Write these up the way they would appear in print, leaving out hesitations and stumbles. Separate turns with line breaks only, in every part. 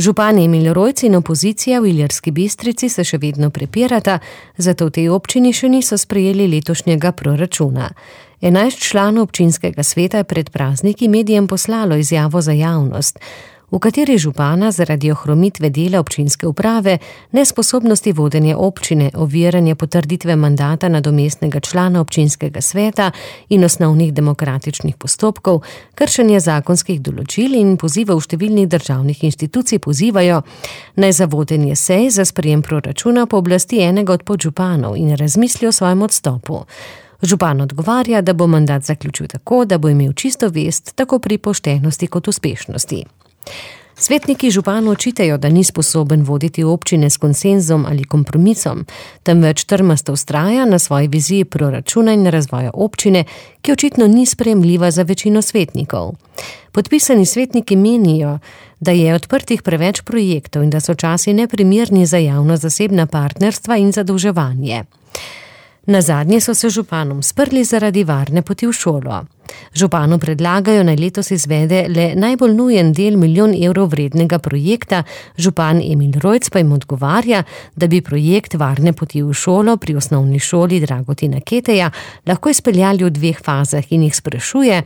Župan Emil Rojc in opozicija v Ilirski Bistrici se še vedno prepirata, zato v tej občini še niso sprejeli letošnjega proračuna. 11 članov občinskega sveta je pred prazniki medijem poslalo izjavo za javnost, v kateri župana zaradi ohromitve dela občinske uprave, nesposobnosti vodenja občine, oviranja potrditve mandata nadomestnega člana občinskega sveta in osnovnih demokratičnih postopkov, kršenje zakonskih določil in pozivov številnih državnih inštitucij pozivajo, naj za vodenje sej za sprejem proračuna pooblasti enega od podžupanov in razmisli o svojem odstopu. Župan odgovarja, da bo mandat zaključil tako, da bo imel čisto vest tako pri poštenosti kot uspešnosti. Svetniki županu očitajo, da ni sposoben voditi občine s konsenzom ali kompromisom, temveč trmasto vztraja na svoji viziji proračuna in razvoja občine, ki očitno ni sprejemljiva za večino svetnikov. Podpisani svetniki menijo, da je odprtih preveč projektov in da so časi neprimerni za javno-zasebna partnerstva in zadolževanje. Nazadnje so se županom sprli zaradi varne poti v šolo. Županu predlagajo, naj letos izvede le najbolj nujen del 1 milijon evrov vrednega projekta, župan Emil Rojc pa jim odgovarja, da bi projekt varne poti v šolo pri osnovni šoli Dragotina Keteja lahko izpeljali v 2 fazah in jih sprašuje,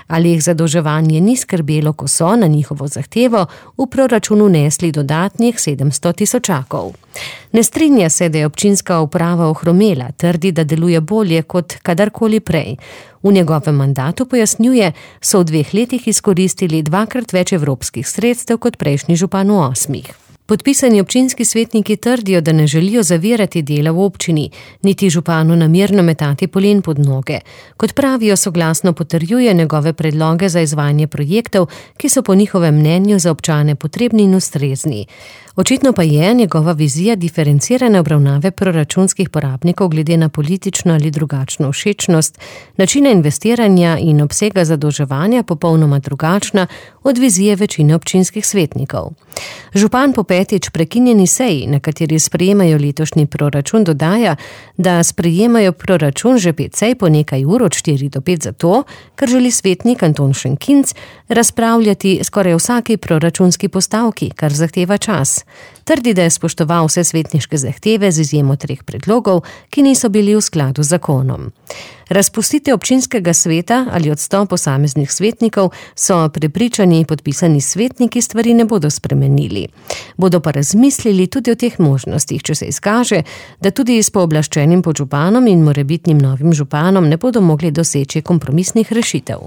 ali jih zadolževanje ni skrbelo, ko so na njihovo zahtevo v proračunu nesli dodatnih 700 tisočakov. Ne strinja se, da je občinska uprava ohromela, trdi, da deluje bolje kot kadarkoli prej. V njegovem mandatu, pojasnjuje, so v 2 letih izkoristili 2-krat več evropskih sredstev kot prejšnji župan v 8. Podpisani občinski svetniki trdijo, da ne želijo zavirati dela v občini, niti županu namerno metati polen pod noge. Kot pravijo, soglasno potrjuje njegove predloge za izvajanje projektov, ki so po njihovem mnenju za občane potrebni in ustrezni. Očitno pa je njegova vizija diferencirane obravnave proračunskih porabnikov glede na politično ali drugačno všečnost, načina investiranja in obsega zadolževanja popolnoma drugačna od vizije večine občinskih svetnikov. Župan po 5. prekinjeni seji, na kateri sprejemajo letošnji proračun, dodaja, da sprejemajo proračun že 5 sej po nekaj ur od 4 do 5 zato, ker želi svetnik Anton Šenkinc razpravljati skoraj vsaki proračunski postavki, kar zahteva čas. Trdi, da je spoštoval vse svetniške zahteve z izjemo 3 predlogov, ki niso bili v skladu z zakonom. Razpustitev občinskega sveta ali odstop posameznih svetnikov so prepričani podpisani svetniki stvari ne bodo spremenili. Bodo pa razmislili tudi o teh možnostih, če se izkaže, da tudi s pooblaščenim podžupanom in morebitnim novim županom ne bodo mogli doseči kompromisnih rešitev.